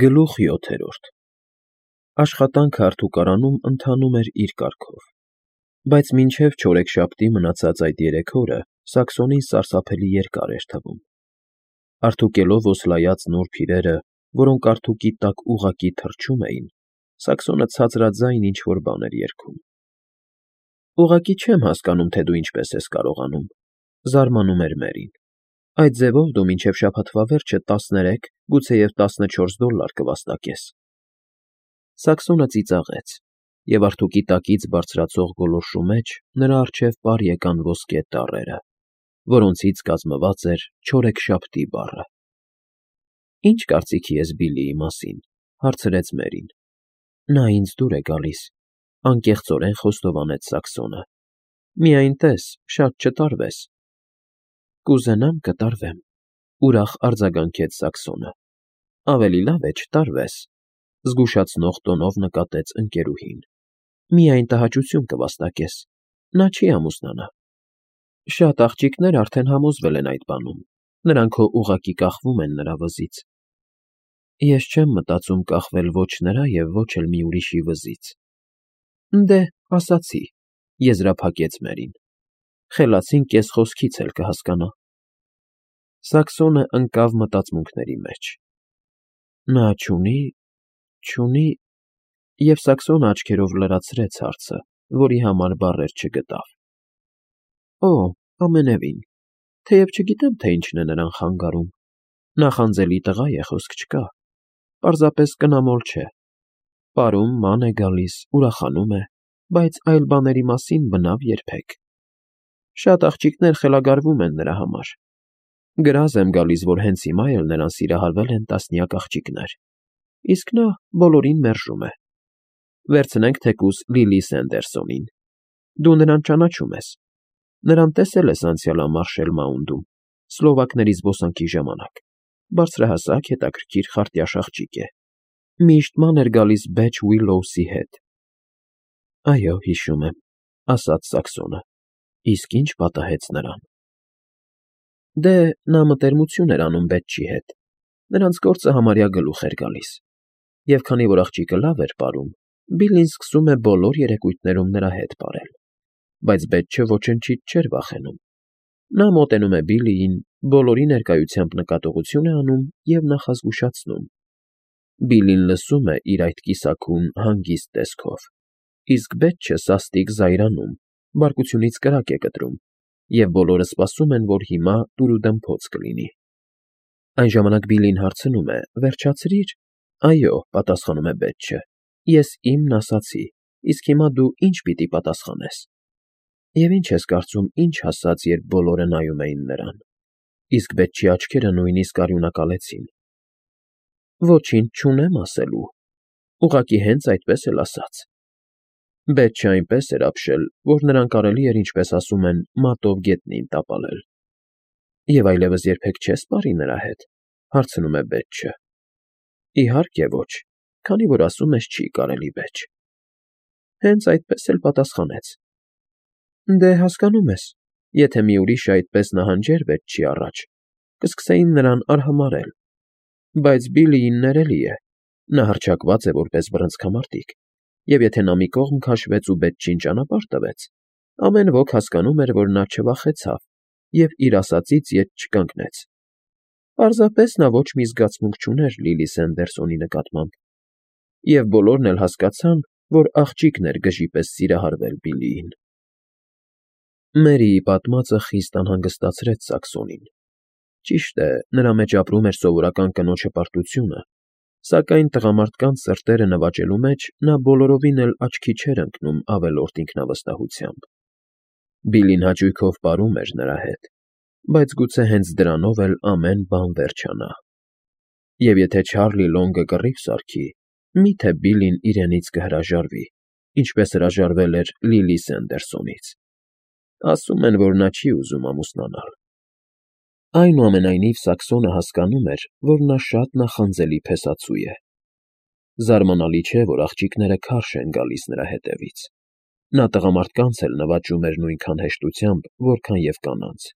Գլուխ 7 Աշխատանքը արդուկարանում ընթանում էր իր կարգով, բայց մինչև չորեքշաբթի մնացած այդ 3 օրը Սաքսոնին սարսափելի երկար էր թվում. արդուկելով ոսլայած նուրբ իրերը, որոնք արդուկի տակ ուղղակի թռչում էին, Սաքսոնը ցածրաձայն ինչ֊որ բան էր երգում։ «Ուղղակի չեմ հասկանում, թե դու ինչպես ես կարողանում,֊ զարմանում էր Մերին,֊ այդ ձևով դու մինչև շաբաթվա վերջը 13, գուցեև 14 դոլար կվաստակես»։ Սաքսոնը ծիծաղեց, և արդուկի տակից բարձրացող գոլորշու մեջ նրա առջև պար եկան ոսկե տառերը, որոնցից կազմված էր չորեքշաբթի բառը։ «Ի՞նչ կարծիքի ես Բիլլիի մասին,֊ հարցրեց Մերին։ «Նա ինձ դուր է գալիս,֊ անկեղծորեն խոստովանեց Սաքսոնը։ Միայն տես, շատ չտարվես»։ «Կուզենամ կտարվեմ,֊ ուրախ արձագանքեց Սաքսոնը։ «Ավելի լավ է չտարվես,֊ զգուշացնող տոնով նկատեց ընկերուհին։ Միայն տհաճություն կվաստակես, նա չի ամուսնանա»։ «Շատ աղջիկներ արդեն համոզվել են այդ բանում, նրանք հո ուղղակի կախվում են նրա վզից»։ «Ես չեմ մտածում կախվել ոչ նրա և ոչ էլ մի ուրիշի վզից»։ «Դե, ասացի,֊ եզրափակեց Մերին։ Խելացին կես խոսքից էլ կհասկանա»։ Սաքսոնը ընկավ մտածմունքների մեջ։ Նա չունի, և Սաքսոնը աչքերով լրացրեց հարցը, որի համար բառեր չգտավ։ «Օ, ամենևին, թեև չգիտեմ, թե ինչն է նրան խանգարում, նախանձելի տղա է, խոսք չկա, պարզապես կնամոլ չէ, պարում, ման է գալիս, ուրախանում է, բայց այլ բաների մասին բնավ երբեք։ Շատ աղջիկներ խելագարվում են նրա համար։ Գրազ եմ գալիս, որ հենց հիմա էլ նրան սիրահարվել են տասնյակ աղջիկներ, իսկ նա բոլորին մերժում է։ Վերցնենք թեկուզ Լիլի Սենդերսոնին։ Դու նրան ճանաչում ես։ Նրան տեսել ես անցյալ ամառ Շելմաունդում, Սլովակների զբոսանքի ժամանակ։ Բարձրահասակ, հետաքրքիր, խարտյաշ աղջիկ է։ Միշտ ման էր գալիս Բեչ Ուիլոուսի հետ։ Այո, հիշում եմ,֊ ասաց Սաքսոնը։ Իսկ ինչ պատահեց նրան։ Դե, նա մտերմություն էր անում Բեչի հետ։ Նրանց գործը համարյա գլուխ էր գալիս։ Եվ քանի որ աղջիկը լավ էր պարում, Բիլլին սկսում է բոլոր երեկույթներում նրա հետ պարել։ Բայց Բեչը ոչնչից չէր վախենում։ Նա մոտենում է Բիլլիին, բոլորի ներկայությամբ նկատողություն է անում և նախազգուշացնում։ Բիլլին լսում է իր այդ կիսաքուն, հանգիստ տեսքով, իսկ Բեչը սաստիկ զայրանում, բարկությունից կրակ է կտրում, և բոլորը սպասում են, որ հիմա տուրուդմփոց կլինի։ Այն ժամանակ Բիլլին հարցնում է. «Վերջացրի՞ր»։ «Այո,֊ պատասխանում է Բեչը,֊ ես իմն ասացի, իսկ հիմա դու ինչ պիտի պատասխանես»։ Եվ ինչ ես կարծում, ինչ ասաց, երբ բոլորը նայում էին նրան։ Իսկ Բեչի աչքերը նույնիսկ արյունակալեցին։ Ոչինչ չունեմ ասելու, ուղղակի հենց այդպես էլ ասաց։ Բեչը այնպես էր ապշել, որ նրան կարելի էր, ինչպես ասում են, մատով գետնին տապալել։ Եվ այլևս երբեք չես պարի նրա հետ, հարցնում է Բեչը։ Իհարկե ոչ, քանի որ ասում ես չի կարելի, Բեչ։ Հենց այդպես էլ պատասխանեց։ Դե, հասկանում ես, եթե մի ուրիշը այդպես նահանջեր Բեչի առաջ, կսկսեին նրան արհամարհել։ Բայց Բիլլիին ներելի է, նա հռչակված է որպես բռնցքամարտիկ, և եթե նա մի կողմ քաշվեց ու Բեչին ճանապարհ տվեց, ամեն ոք հասկանում էր, որ նա չվախեցավ և իր ասածից ետ չկանգնեց։ Պարզապես նա ոչ մի զգացմունք չուներ Լիլի Սենդերսոնի նկատմամբ, և բոլորն էլ հասկացան, որ աղջիկն էր գժի պես սիրահարվել Բիլլիին։ Մերիի պատմածը խիստ անհանգստացրեց Սաքսոնին։ Ճիշտ է, նրա մեջ ապրում էր սովորական կնոջ հպարտությունը, սակայն տղամարդկանց սրտերը նվաճելու մեջ նա բոլորովին էլ աչքի չէր ընկնում ավելորդ ինքնավստահությամբ։ Բիլլին հաճույքով պարում էր նրա հետ, բայց գուցե հենց դրանով էլ ամեն բան վերջանա։ Եվ եթե Չարլի Լոնգը կռիվ սարքի, մի՞թե Բիլլին իրենից կհրաժարվի, ինչպես հրաժարվել էր Լիլի Սենդերսոնից։ Ասում են, որ նա չի ուզում ամուսնանալ։ Այնուամենայնիվ Սաքսոնը հասկանում էր, որ նա շատ նախանձելի փեսացու է։ Զարմանալի չէ, որ աղջիկները քարշ են գալիս նրա հետևից։ Նա տղամարդկանց էլ նվաճում էր նույնքան հեշտությամբ, որքան և կանանց։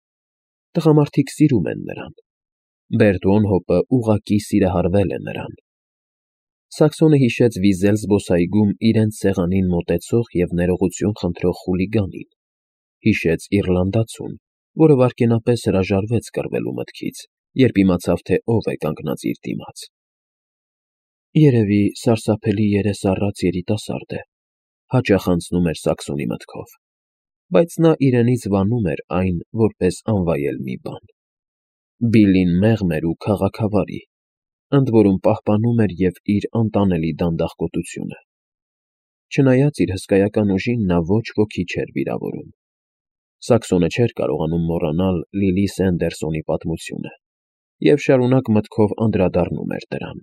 Տղամարդիկ սիրում են նրան։ Բերտոնհոպը ուղղակի սիրահարվել է նրան։ Սաքսոնը հիշեց վիզել զբոսայգում իրենց սեղանին մոտեցող և ներողություն խնդրող խուլիգանին, հիշեց իռլանդացուն, որը վայրկենապես հրաժարվեց կռվելու մտքից, երբ իմացավ, թե ով է կանգնած իր դիմաց։ Երևի սարսափելի երես առած երիտասարդ է, հաճախ անցնում էր Սաքսոնի մտքով, բայց նա իրենից վանում էր այն որպես անվայել մի բան։ Բիլլին մեղմ էր ու քաղաքավարի, ընդ որում պահպանում էր և իր անտանելի դանդաղկոտությունը։ Չնայած իր հսկայական ուժին, նա ոչ ոքի չէր վիրավորում։ Սաքսոնը չէր կարողանում մոռանալ Լիլի Սենդերսոնի պատմությունը և շարունակ մտքով անդրադառնում էր դրան։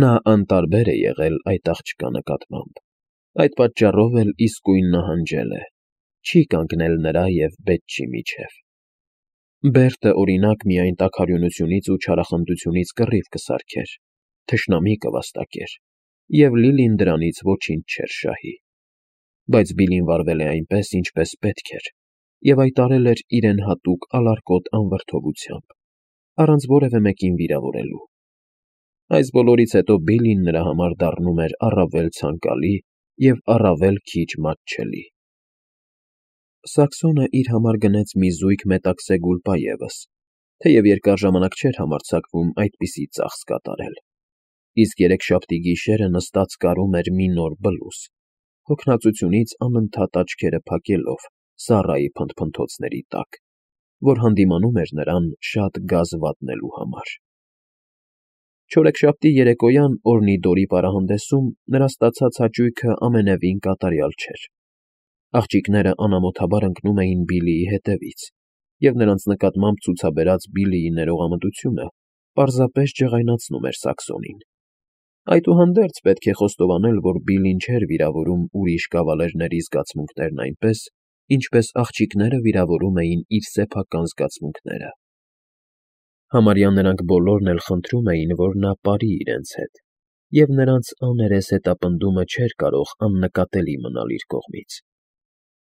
Նա անտարբեր է եղել այդ աղջկա նկատմամբ, այդ պատճառով էլ իսկույն նահանջել է, չի կանգնել նրա և Բեթչի միջև։ Բերտը, օրինակ, միայն տաքարյունությունից ու չարախնդությունից կռիվ կսարքեր, թշնամի կվաստակեր, և Լիլին դրանից ոչինչ չէր շահի։ Բայց Բիլլին վարվել է այնպես, ինչպես պետք էր, և հայտարարել էր իրեն հատուկ ալարկոտ անվրդովությամբ, առանց որևէ մեկին վիրավորելու։ Այս բոլորից հետո Բիլլին նրա համար դառնում էր առավել ցանկալի և առավել քիչ մատչելի։ Սաքսոնը իր համար գնեց մի զույգ մետաքսե գուլպա ևս, թեև երկար ժամանակ չէր համարձակվում այդպիսի ծախս կատարել, իսկ երեքշաբթի գիշերը նստած կարում էր մի նոր բլուզ, հոգնածությունից անընդհատ աչքերը փակելով Սառայի փնթփնթոցների տակ, որ հանդիմանում էր նրան շատ գազ վատնելու համար։ Չորեքշաբթի երեկոյան Օրնիդորի պարահանդեսում նրա ստացած հաճույքը ամենևին կատարյալ չէր։ Աղջիկները անամոթաբար ընկնում էին Բիլլիի հետևից, և նրանց նկատմամբ ցուցաբերած Բիլլիի ներողամտությունը պարզապես ջղայնացնում էր Սաքսոնին։ Այդուհանդերձ պետք է խոստովանել, որ Բիլլին չէր վիրավորում ուրիշ կավալերների զգացմունքներն այնպես, ինչպես աղջիկները վիրավորում էին իր սեփական զգացմունքները։ Համարյա նրանք բոլորն էլ խնդրում էին, որ նա ապարի իրենց հետ, և նրանց աներես հետապնդումը չէր կարող աննկատելի մնալ իր կողմից։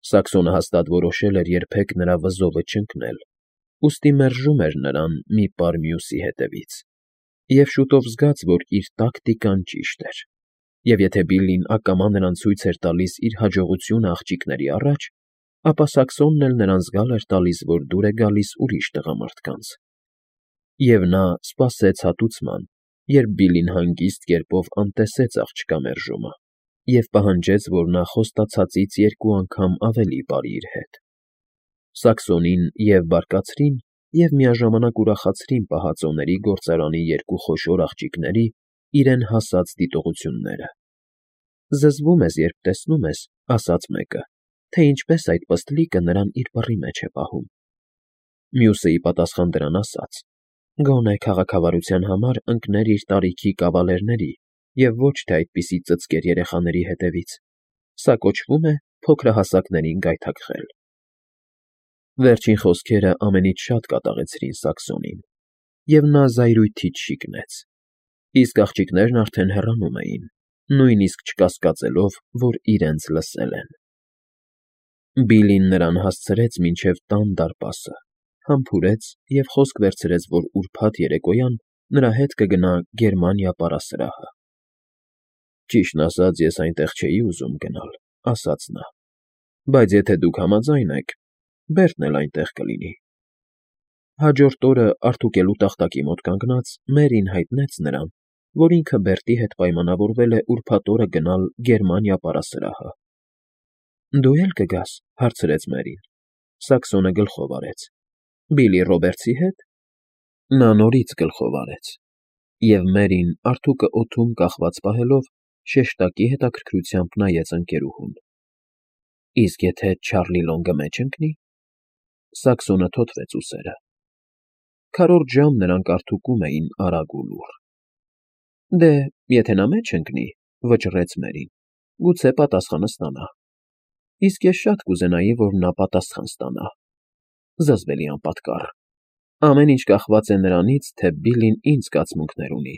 Սաքսոնը հաստատ որոշել էր երբեք նրա վզովը չընկնել, ուստի մերժում էր նրան մի պար մյուսի հետևից, և շուտով զգաց, որ իր տակտիկան ճիշտ էր, և եթե Բիլլին ակամա նրան ցույց էր տալիս իր հաջողությունը աղջիկների առաջ, ապա Սաքսոնն էլ նրան զգալ էր տալիս, որ դուր է գալիս ուրիշ տղամարդկանց։ Եվ նա սպասեց հատուցման, երբ Բիլլին հանգիստ կերպով անտեսեց աղջկա մերժումը և պահանջեց, որ նա խոստացածից 2 անգամ ավելի բարի իր հետ։ Սաքսոնին և՛ բարկացրին, և միաժամանակ ուրախացրին պահածոների գործարանի 2 խոշոր աղջիկների իրեն հասած դիտողությունները։ «Զզվում ես, երբ տեսնում ես,֊ ասաց մեկը,֊ թե ինչպես այդ պստլիկը նրան իր բռի մեջ է պահում»։ Մյուսը ի պատասխան դրան ասաց. «Գոնե քաղաքավարության համար ընկներ իր տարիքի կավալերների և ոչ թե այդպիսի ծծկեր երեխաների հետևից։ Սա կոչվում է փոքրահասակներին գայթակղել»։ Վերջին խոսքերը ամենից շատ կատաղեցրին Սաքսոնին, և նա զայրույթից շիկնեց, իսկ աղջիկներն արդեն հեռանում էին, նույնիսկ չկասկածելով, որ իրենց լսել են։ Բիլլին նրան հասցրեց մինչև տան դարպասը, համբուրեց և խոսք վերցրեց, որ ուրբաթ երեկոյան նրա հետ կգնա Գերմանիա պարասրահը։ «Ճիշտն ասած, ես այնտեղ չէի ուզում գնալ,֊ ասաց նա,֊ բայց եթե դուք համաձայն եք, Բերտն էլ այնտեղ կլինի»։ Հաջորդ օրը արդուկելու տախտակի մոտ կանգնած՝ Մերին հայտնեց նրան, որ ինքը Բերտի հետ պայմանավորվել է ուրբաթ օրը գնալ Գերմանիա պարասրահը։ «Դու էլ կգաս,֊ հարցրեց Մերին։ Սաքսոնը գլխով արեց։ «Բիլլի Ռոբերտսի հետ»։ Նա նորից գլխով արեց, և Մերին, արթուկը օդում կախված պահելով, շեշտակի հետաքրքրությամբ նայեց ընկերուհուն։ «Իսկ եթե Չարլի Լոնգը մեջ ընկնի…»։ Սաքսոնը թոթվեց ուսերը։ Քառորդ ժամ նրանք արթուկում էին արագ ու լուռ։ «Դե, եթե նա մեջ ընկնի,֊ վճռեց Մերին,֊ գուցե պատասխանը ստանա։ Իսկ ես շատ կուզենայի, որ նա պատասխան ստանա։ Զզվելի անպատկառ։ Ամեն ինչ կախված է նրանից, թե Բիլլին ինչ զգացմունքներ ունի,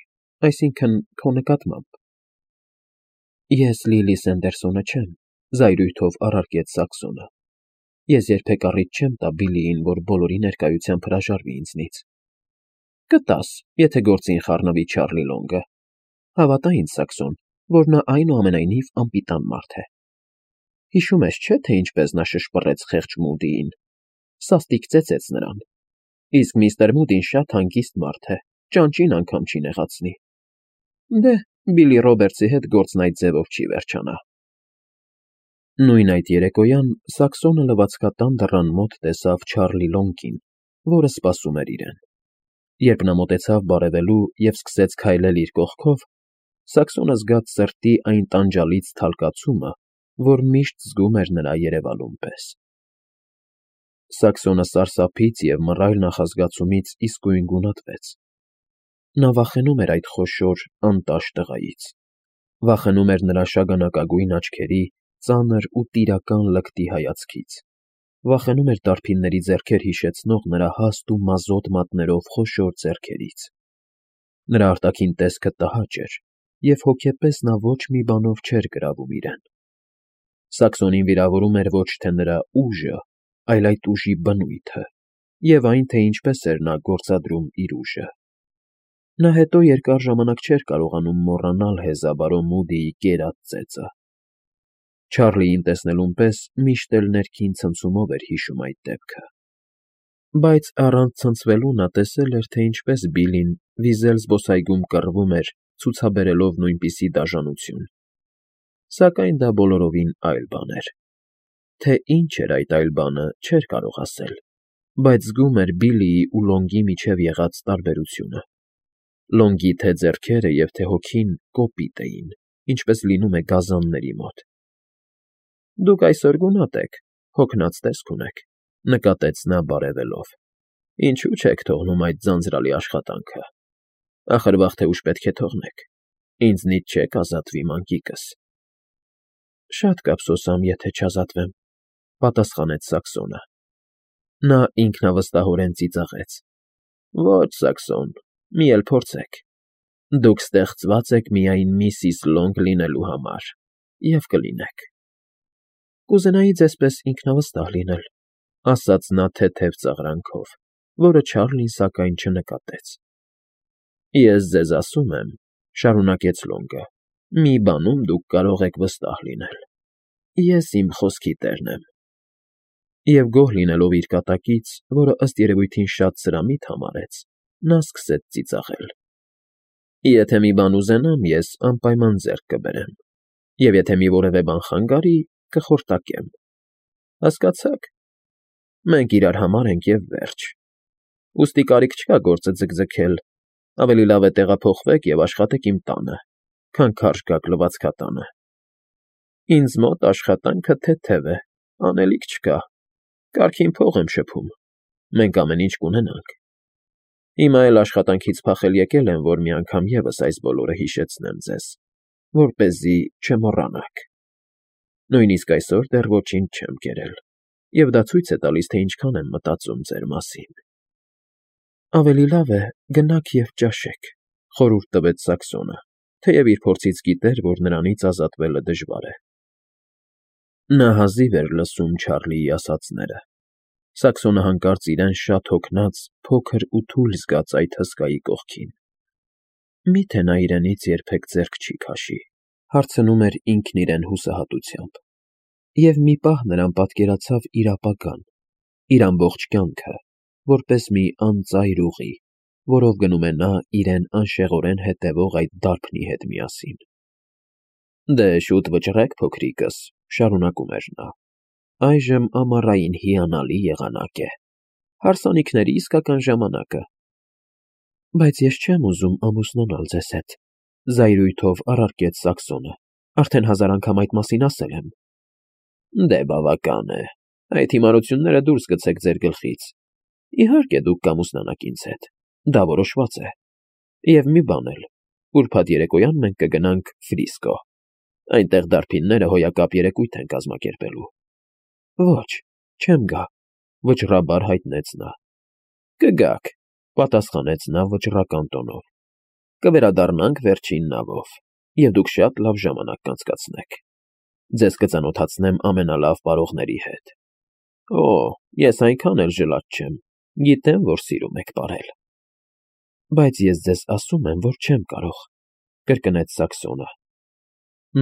այսինքն՝ քո նկատմամբ»։ «Ես Լիլի Սենդերսոնը չեմ,֊ զայրույթով առարկեց Սաքսոնը։ «Ես երբեք առիթ չեմ տա Բիլլիին, որ բոլորի ներկայությամբ հրաժարվի ինձնից»։ «Կտաս, եթե գործին խառնվի Չարլի Լոնգը։ Հավատա ինձ, Սաքսոն, որ նա այնուամենայնիվ անպիտան մարդ է։ Հիշում ես, չէ՞, թե ինչպես նա շշպռեց խեղճ Մուդիին, սաստիկ ծեծեց նրան, իսկ միստր Մուդին շատ հանգիստ մարդ է, ճանճին անգամ չի նեղացնի։ Դե, Բիլլի Ռոբերտսի հետ գործն այդ ձևով չի վերջանա։ Նույն այդ երեկոյան Սաքսոնը լվացքատան դռան մոտ տեսավ Չարլի Լոնգին, որը սպասում էր իրեն։ Երբ նա մոտեցավ բարևելու և սկսեց քայլել իր կողքով, Սաքսոնը զգաց սրտի այն տանջալից թալկացումը, որ միշտ զգում էր նրա երևալուն պես։ Սաքսոնը սարսափից և մռայլ նախազգացումից իսկույն գունատվեց։ Նա վախենում էր այդ խոշոր, անտաշ տղայից, վախենում էր նրա շագանակագույն աչքերի ծանր ու տիրական լկտի հայացքից, վախենում էր դարբինների ձեռքեր հիշեցնող նրա հաստ ու մազոտ մատներով խոշոր ձեռքերից։ Նրա արտաքին տեսքը տհաճ էր, և հոգեպես նա ոչ մի բանով չէր գրավում իրեն։ Սաքսոնին վիրավորում էր ոչ թե նրա ուժը, այլ այդ ուժի բնույթը, և այն, թե ինչպես էր նա գործադրում իր ուժը։ Նա հետո երկար ժամանակ չէր կարողանում մոռանալ հեզաբարո Մուդիի կերած ծեծը։ Չարլիին տեսնելուն պես միշտ էլ ներքին ցնցումով էր հիշում այդ դեպքը։ Բայց առանց ցնցվելու նա տեսել էր, թե ինչպես Բիլլին վիզել զբոսայգում կռվում էր, ցուցաբերելով նույնպիսի դաժանություն։ Սակայն դա բոլորովին այլ բան էր։ Թե ինչ էր այդ այլ բանը, չէր կարող ասել, բայց զգում էր Բիլլիի ու Լոնգի միջև եղած տարբերությունը։ Լոնգի թե ձեռքերը և թե հոգին կոպիտ էին, ինչպես լինում է գազանների մոտ։ Դուք այսօր գունատ եք, հոգնած տեսք ունեք, նկատեց նա բարևելով։ Ինչու՞ չեք թողնում այդ ձանձրալի աշխատանքը։ Ախր վաղ թե ուշ պետք է թողնեք։ Ինձնից չեք ազատվի, մանկիկս։ Շատ կափսոսամ, եթե չազատվեմ, պատասխանեց Սաքսոնը։ Նա ինքնավստահորեն ծիծաղեց։ Ոչ, Սաքսոն, մի էլ փորձեք։ Դուք ստեղծված եք միայն Միսիս Լոնգ լինելու համար, և կլինեք։ Կուզենայի ձեզպես ինքնավստահ լինել, ասաց նա թեթև ծաղրանքով, որը Չարլին սակայն չնկատեց։ Ես ձեզ ասում եմ, շարունակեց Լոնգը, մի բանում դուք կարող եք վստահ լինել. ես իմ խոսքի տերն եմ։ Եվ գոհ լինելով իր կատակից, որը ըստ երևույթին շատ սրամիտ համարեց, նա սկսեց ծիծաղել։ Եթե մի բան ուզենամ, ես անպայման ձեռք կբերեմ, և եթե մի որևէ բան խանգարի, կխորտակեմ։ Հասկացա՞ք։ Մենք իրար համար ենք և վերջ։ Ուստի կարիք չկա գործը ձգձգել, ավելի լավ է տեղափոխվեք և աշխատեք իմ տանը, քան քարշ գաք լվացքատանը։ Ինձ մոտ աշխատանքը թեթև է, անելիք չկա, կարգին փող եմ շփում, մենք ամեն ինչ կունենանք։ Հիմա էլ աշխատանքից փախել եկել եմ, որ մի անգամ ևս այս բոլորը հիշեցնեմ ձեզ, որպեսզի չմոռանաք։ Նույնիսկ այսօր դեռ ոչինչ չեմ կերել, և դա ցույց է տալիս, թե ինչքան եմ մտածում ձեր մասին։ Ավելի լավ է գնաք և ճաշեք, խորհուրդ տվեց Սաքսոնը, թեև իր փորձից գիտեր, որ նրանից ազատվելը դժվար է։ Նա հազիվ էր լսում Չարլիի ասածները։ Սաքսոնը հանկարծ իրեն շատ հոգնած, փոքր ու թույլ զգաց այդ հսկայի կողքին։ Մի՞թե նա իրենից երբեք ձեռք չի քաշի, հարցնում էր ինքն իրեն հուսահատությամբ։ Եվ մի պահ նրան պատկերացավ իր ապագան, իր ամբողջ կյանքը, որպես մի անծայր ուղի, որով գնում է նա իրեն անշեղորեն հետևող այդ դարբնի հետ միասին։ Դե շուտ վճռեք, փոքրիկս, շարունակում էր նա։ Այժմ ամառային հիանալի եղանակ է։ Հարսանիքների իսկական ժամանակը։ Բայց ես չեմ ուզում ամուսնանալ ձեզ հետ, զայրույթով առարկեց Սաքսոնը։ Արդեն 1000 անգամ այդ մասին ասել եմ։ Դե բավական է։ Այդ հիմարությունները դուրս գցեք ձեր գլխից։ Իհարկե դուք կամուսնանաք ինձ հետ։ Դա որոշված է։ Եվ մի բան էլ, ուրբաթ երեկոյան մենք կգնանք Ֆրիսկո։ Այնտեղ դարբինները հոյակապ երեկույթ են կազմակերպելու։ Ոչ, չեմ գա, վճռաբար հայտնեց նա։ Կգաք, պատասխանեց նա վճռական տոնով։ Կվերադառնանք վերջին նավով, և դուք շատ լավ ժամանակ կանցկացնեք։ Ձեզ կծանոթացնեմ ամենալավ պարողների հետ։ Օ, ես այնքան էլ ժլատ չեմ, գիտեմ, որ սիրում եք պարել։ Բայց ես ձեզ ասում եմ, որ չեմ կարող։ կրկնեց Սաքսոնը։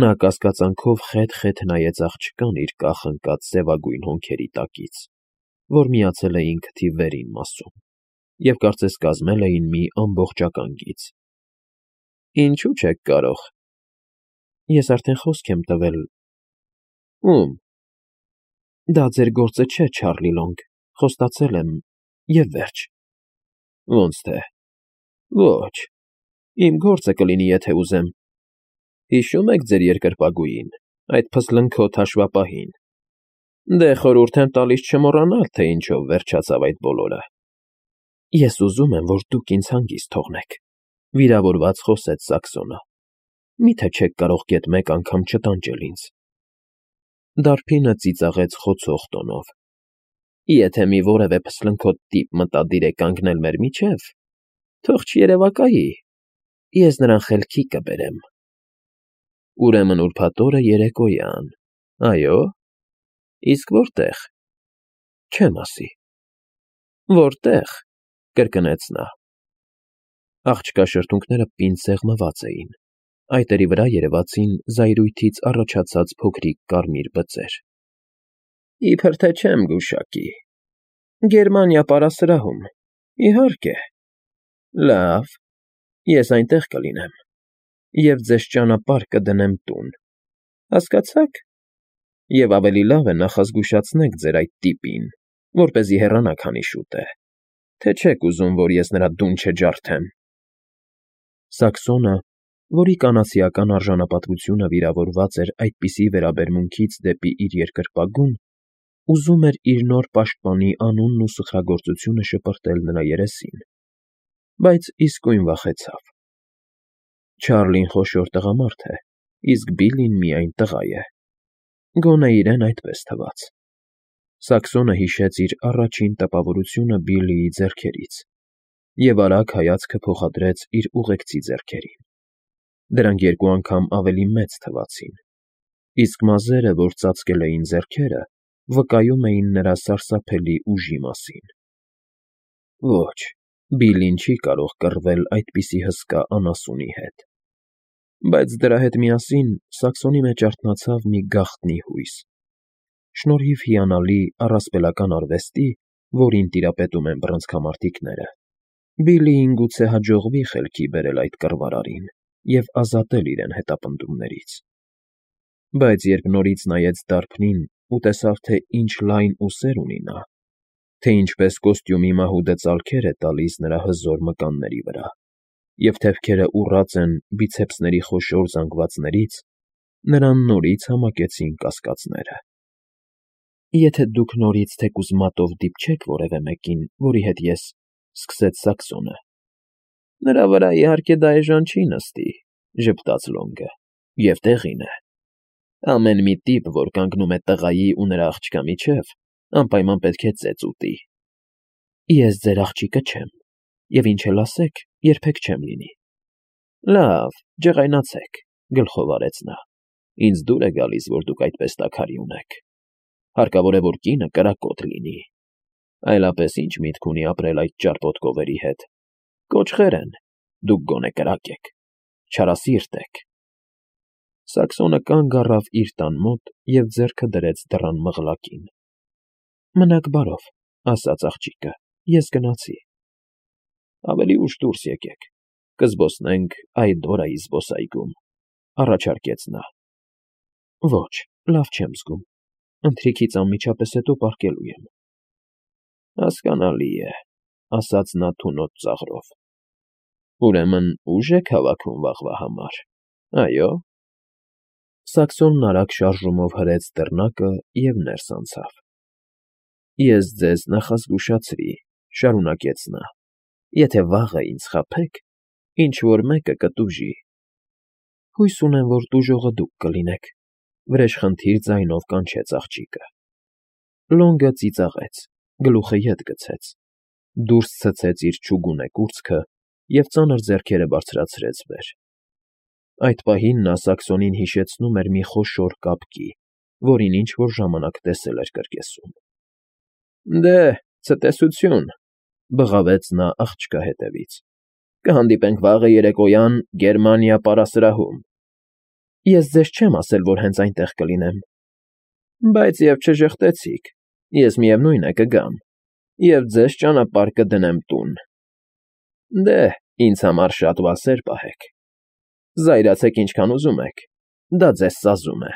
Նա կասկածանքով խեթ-խեթ նայեց աղջկան իր կախ-ընկած սևագույն հոնքերի տակից, որ միացել էին քթի վերին մասում, և կարծես կազմել էին մի ամբողջական գիծ։ Ինչու՞ չեք կարող։ Ես արդեն խոսք եմ տվել։ Ում։ Դա ձեր գործը չէ, Չարլի Լոնգ, խոստացել եմ, և վերջ։ Ոնց թե։ Ոչ, իմ գործը կլինի, եթե ուզեմ։ Հիշո՞ւմ եք ձեր երկրպագուին, այդ փսլնքոթ հաշվապահին։ Դե խորհուրդ եմ տալիս չմոռանալ, թե ինչով վերջացավ այդ բոլորը։ Ես ուզում եմ, որ դուք ինձ հանգիստ թողնեք, վիրավորված խոսեց Սաքսոնը։ Մի՞թե չեք կարող գեթ մեկ անգամ չտանջել ինձ։ Դարբինը ծիծաղեց խոցող տոնով։ Եթե մի որևէ փսլնքոթ տիպ մտադիր է կանգնել մեր միջև, թող չերևակայի, ես նրան խելքի կբերեմ։ Ուրեմն ուրբաթ օրը երեկոյան, այո՞։ Իսկ որտե՞ղ։ Չեմ ասի։ Որտե՞ղ, կրկնեց նա։ Աղջկա շրթունքները պինդ սեղմված էին, այտերի վրա երևացին զայրույթից առաջացած փոքրիկ կարմիր բծեր։ Իբր թե չեմ գուշակի։ Գերմանիա պարասրահում, իհարկե։ Լավ, ես այնտեղ կլինեմ, և ձեզ ճանապարհ կդնեմ տուն, հասկացա՞ք։ Եվ ավելի լավ է նախազգուշացնեք ձեր այդ տիպին, որպեսզի հեռանա քանի շուտ է, թե չեք ուզում, որ ես նրա դուն չջարդեմ։ Սաքսոնը, որի կանացիական արժանապատվությունը վիրավորված էր այդպիսի վերաբերմունքից դեպի իր երկրպագուն, ուզում էր իր նոր պաշտպանի անունն ու սխրագործությունը շպրտել նրա երեսին, բայց իսկույն վախեցավ։ Չարլին խոշոր տղամարդ է, իսկ Բիլլին միայն տղա է։ Գոնե իրեն այդպես թվաց։ Սաքսոնը հիշեց իր առաջին տպավորությունը Բիլլիի ձեռքերից և արագ հայացքը փոխադրեց իր ուղեկցի ձեռքերին։ Դրանք երկու անգամ ավելի մեծ թվացին, իսկ մազերը, որ ծածկել էին ձեռքերը, վկայում էին նրա սարսափելի ուժի մասին։ Ոչ, Բիլլին չի կարող կռվել այդպիսի հսկա անասունի հետ։ Բայց դրա հետ միասին Սաքսոնի մեջ արթնացավ մի գաղտնի հույս։ Շնորհիվ հիանալի առասպելական արվեստի, որին տիրապետում են բռնցքամարտիկները, Բիլլիին գուցե հաջողվի խելքի բերել այդ կռվարարին և ազատել իրեն հետապնդումներից։ Բայց երբ նորից նայեց դարբնին ու տեսավ, թե ինչ լայն ուսեր ունի նա, թե ինչպես կոստյումի մահուդը ծալքեր է տալիս նրա հզոր մկանների վրա, և թևքերը ուռած են բիցեպսների խոշոր զանգվածներից, նրան նորից համակեցին կասկածները։ Եթե դուք նորից թեկուզ մատով դիպչեք որևէ մեկին, որի հետ ես, սկսեց Սաքսոնը։ Նրա վրա, իհարկե, դա էժան չի նստի, ժպտաց Լոնգը, և տեղին է։ Ամեն մի տիպ, որ կանգնում է տղայի ու նրա աղջկա միջև, անպայման պետք է ծեծ ուտի։ Ես ձեր աղջիկը չեմ, և ինչ էլ ասեք, երբեք չեմ լինի։ Լավ, ջղայնացեք, գլխով արեց նա։ Ինձ դուր է գալիս, որ դուք այդպես տաքարի ունեք։ Հարկավոր է, որ կինը կրակոտ լինի։ Այլապես ինչ միտք ունի ապրել այդ ճարպոտ կովերի հետ։ Կոճղեր են, դուք գոնե կրակ եք, չարասիրտ եք։ Սաքսոնը կանգ առավ իր տան մոտ և ձեռքը դրեց դռան մղլակին։ Մնաք բարով, ասաց աղջիկը, ես գնացի։ Ավելի ուշ դուրս եկեք, կզբոսնենք Այդորայի զբոսայգում, առաջարկեց նա։ Ոչ, լավ չեմ զգում, ընթրիքից անմիջապես հետո պառկելու եմ։ Հասկանալի է, ասաց նա թունոտ ծաղրով։ Ուրեմն ուժ եք հավաքում վաղվա համար, այո։ Սաքսոնն արագ շարժումով հրեց դռնակը և ներս անցավ։ Ես ձեզ նախազգուշացրի, շարունակեց նա, եթե վաղը ինձ խաբեք, ինչ֊որ մեկը կտուժի։ Հույս ունեմ, որ տուժողը դուք կլինեք, վրեժխնդիր ձայնով կանչեց աղջիկը։ Լոնգը ծիծաղեց, գլուխը ետ գցեց, դուրս ցցեց իր չուգունե կուրծքը և ծանր ձեռքերը բարձրացրեց վեր։ Այդ պահին նա Սաքսոնին հիշեցնում էր մի խոշոր կապկի, որին ինչ֊որ ժամանակ տեսել էր կրկեսում։ Դե, ցտեսություն, բղավեց նա աղջկա հետևից։ Կհանդիպենք վաղը երեկոյան Գերմանիա պարասրահում։ Ես ձեզ չեմ ասել, որ հենց այնտեղ կլինեմ, բայց և չժխտեցիք, ես միևնույն է կգամ և ձեզ ճանապարհ կդնեմ տուն։ Դե, ինձ համար շատ վասեր պահեք, զայրացեք ինչքան ուզում եք, դա ձեզ սազում է։